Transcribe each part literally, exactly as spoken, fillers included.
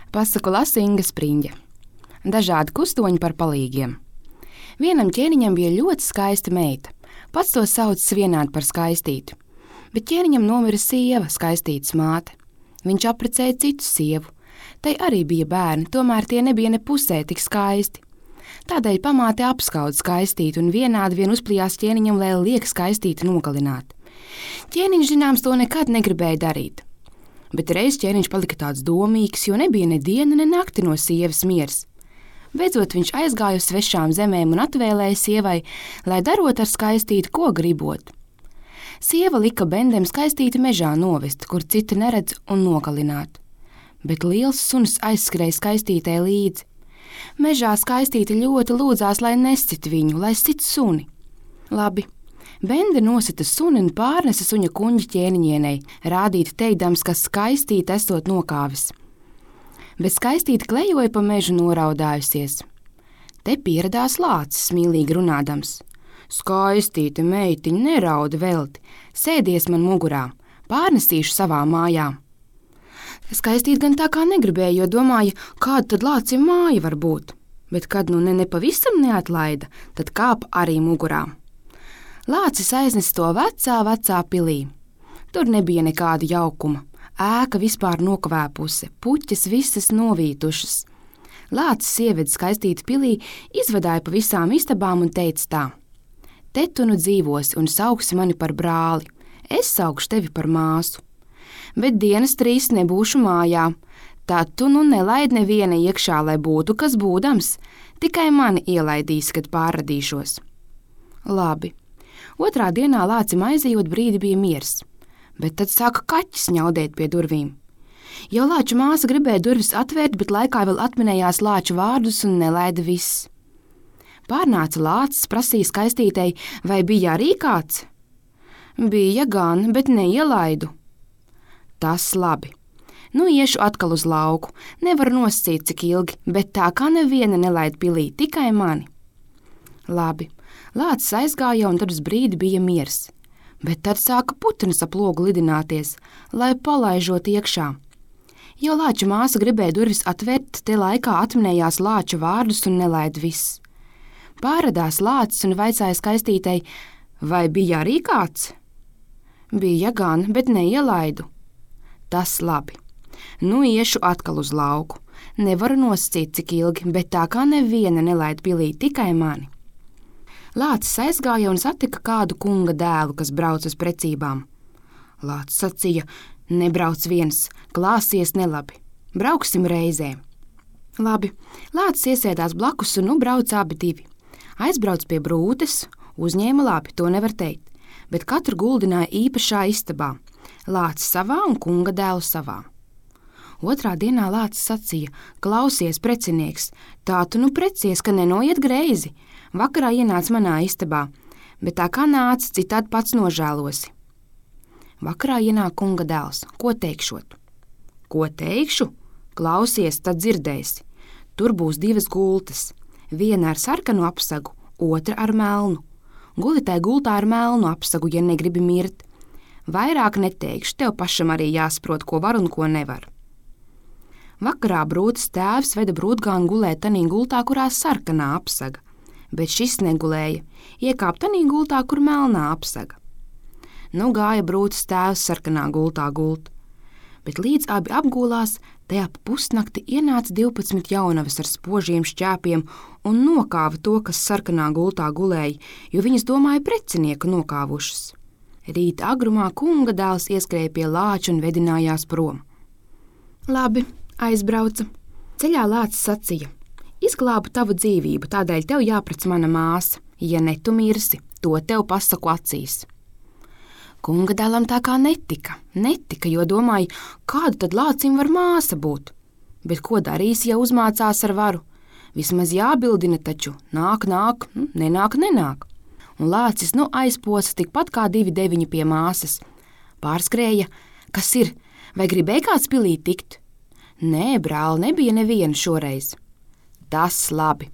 Pasaku lasa Inga Spriņģe. Dažādi kustoņi par palīgiem. Vienam ķēniņam bija ļoti skaista meita. Pats to saucis vienādi par skaistītu. Bet ķēniņam nomira sieva, skaistītas māte. Viņš apprecēja citu sievu. Tai arī bija bērni, tomēr tie nebija ne pusē tik skaisti. Tādēļ pamāte apskauda skaistītu un vienādi vien uzplijās ķēniņam, lai liek skaistītu nogalināt. Ķēniņš, zināms, to nekad negribēja darīt. Bet reiz ķēniņš palika tāds domīgs, jo nebija ne diena, ne nakti no sievas miers. Beidzot viņš aizgāja uz svešām zemēm un atvēlēja sievai, lai darot ar skaistītu, ko gribot. Sieva lika bendem skaistīti mežā novest, kur citi neredz un nogalināt. Bet liels suns aizskrēja skaistītē līdzi. Mežā skaistīti ļoti lūdzās, lai nescit viņu, lai sit suni. Labi. Bende nosita suni un pārnesa suņa kuņģi ķēniņienei, rādīt teikdams, ka skaistīte esot nokāvis. Bet skaistīte klejoja pa mežu noraudājusies. Te pieradās lācis, mīlīgi runādams. Skaistīte, meitiņa, nerauda velti, sēdies man mugurā, pārnesīšu savā mājā. Skaistīt gan tā kā negribēja, jo domāja, kāda tad lācim māja var būt. Bet kad nu ne nepavisam neatlaida, tad kāp arī mugurā. Lācis aiznes to vecā, vecā pilī. Tur nebija nekāda jaukuma. Ēka vispār nokvēpuse, puķes visas novītušas. Lācis ieveda skaistīti pilī, izvadāja pa visām istabām un teica tā: Te tu nu dzīvosi un sauksi mani par brāli, es saukšu tevi par māsu. Bet dienas trīs nebūšu mājā, tad tu nu nelaid neviena iekšā, lai būtu kas būdams, tikai mani ielaidīs, kad pārradīšos. Labi. Otrā dienā lācim aizejot brīdi bija miers, bet tad sāka kaķis ņaudēt pie durvīm. Jau lāča māsa gribēja durvis atvērt, bet laikā vēl atminējās lāča vārdus un nelaida viss. Pārnāca lācis, prasīja skaistītei, vai bija arī kāds? Bija gan, bet neielaidu. Tas labi. Nu iešu atkal uz lauku, nevar noscīt cik ilgi, bet tā kā neviena nelaid pilī, tikai mani. Labi. Lācis aizgāja un tad uz brīdi bija miers, bet tad sāka putnas ap logu lidināties, lai palaižot iekšā. Jau lāča māsa gribēja durvis atvērt, te laikā atminējās lāča vārdus un nelaid viss. Pārradās lācis un vaicāja skaistītei, vai bija arī kāds? Bija gan, bet neielaidu. Tas labi. Nu iešu atkal uz lauku, nevaru noscīt cik ilgi, bet tā kā neviena nelaid pilī, tikai mani. Lācis aizgāja un satika kādu kunga dēlu, kas brauc uz precībām. Lācis sacīja, nebrauc viens, klāsies nelabi, brauksim reizē. Labi, lācis iesēdās blakus un nu brauc abi divi. Aizbrauc pie brūtes, uzņēma labi, to nevar teikt, bet katru guldināja īpašā istabā, lācis savā un kunga dēlu savā. Otrā dienā lācis sacīja, klausies, precinieks, tā tu nu precies, ka nenoiet greizi. Vakarā ienāc manā istabā, bet tā kā nāc, citādi pats nožēlosi. Vakarā ienāk kunga dēls, ko teikšot? Ko teikšu? Klausies, tad dzirdēsi. Tur būs divas gultas, viena ar sarkanu apsagu, otra ar melnu. Guli tai gultā ar melnu apsagu, ja negribi mirt. Vairāk neteikšu, tev pašam arī jāsaprot, ko var un ko nevar. Vakarā brūtes tēvs veda brūtgānu gulēt tanī gultā, kurā sarkanā apsaga, bet šis negulēja, iekāp tanī gultā, kur melnā apsaga. Nu gāja brūtes tēvs sarkanā gultā gult, bet līdz abi apgulās, tajā pa pusnakti ienāca divpadsmit jaunavas ar spožiem šķēpiem un nokāva to, kas sarkanā gultā gulēja, jo viņas domāja precinieku nokāvušas. Rīta agrumā kunga dēls ieskrēja pie lāča un vedinājās prom. Labi, aizbrauca. Ceļā lācis sacīja, izglābu tavu dzīvību, tādēļ tev jāprec mana māsa. Ja ne tu mirsi, to tev pasaku acīs. Kunga dēlam tā kā netika, netika, jo domāja, kāda tad lācim var māsa būt. Bet ko darīs, ja uzmācās ar varu? Vismaz jābildina taču, nāk, nāk, nenāk, nenāk. Un lācis nu aizposa tikpat kā divi deviņi pie māsas. Pārskrēja, kas ir, vai gribēja kāds pilī tikt? Nē, brāl, nebija neviena šoreiz. Tas labi.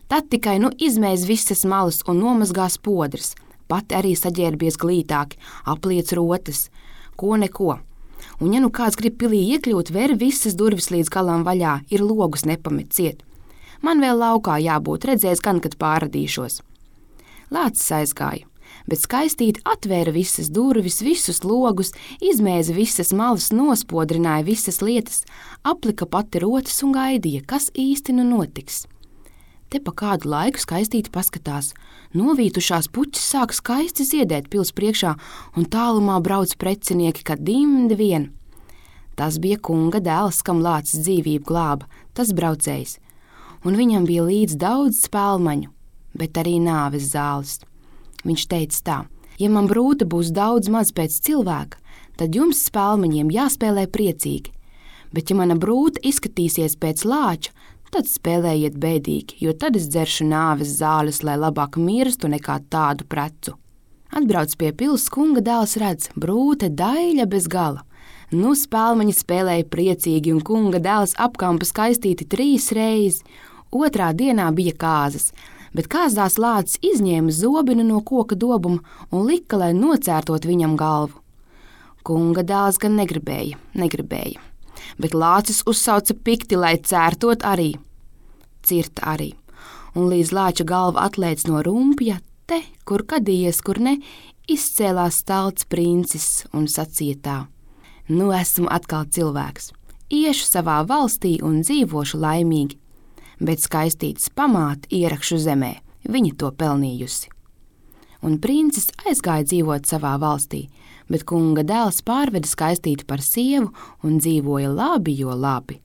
Tad tikai nu izmēs visas malas un nomazgās podras, pati arī saģērbies glītāki, apliec rotas, ko neko. Un ja nu kāds grib pilī iekļūt, ver visas durvis līdz galam vaļā, ir logus nepamet ciet. Man vēl laukā jābūt, redzēs gan, kad pārradīšos. Lācis aizgāja, bet Skaistīte atvēra visas durvis, visus logus, izmēza visas malas, nospodrināja visas lietas, aplika pati rotas un gaidīja, kas īsti nu notiks. Te pa kādu laiku Skaistīte paskatās. Novītušās puķis sāk skaisti ziedēt pils priekšā, un tālumā brauc precinieki, kad dimdi vien. Tas bija kunga dēls, kam Lācis dzīvību glāba, tas braucējs, un viņam bija līdz daudz spēlmaņu, bet arī nāves zāles. Viņš teica tā: ja man brūta būs daudz maz pēc cilvēka, tad jums spēlmaņiem jāspēlē priecīgi, bet ja mana brūta izskatīsies pēc lāča, tad spēlējiet bēdīgi, jo tad es dzeršu nāves zāles, lai labāk mirstu nekā tādu precu. Atbrauc pie pils, kunga dēls redz, brūte daļa bez gala. Nu spēlmaņi spēlēja priecīgi, un kunga dēls apkampa Skaistīti trīs reizi. Otrā dienā bija kāzas, bet kāzās Lācis izņēma zobinu no koka dobuma un lika, lai nocērtot viņam galvu. Kunga dēls gan negribēja, negribēja, bet Lācis uzsauca pikti, lai cērtot arī. Cirta arī, un līdz lāča galva atlēc no rumpja, te, kur kadījies, kur ne, izcēlās stalts princis un sacīja tā: nu esmu atkal cilvēks, iešu savā valstī un dzīvošu laimīgi, bet Skaistītes pamāte ierakšu zemē, viņa to pelnījusi. Un princis aizgāja dzīvot savā valstī, bet kunga dēls pārveda Skaistīti par sievu un dzīvoja labi, jo labi.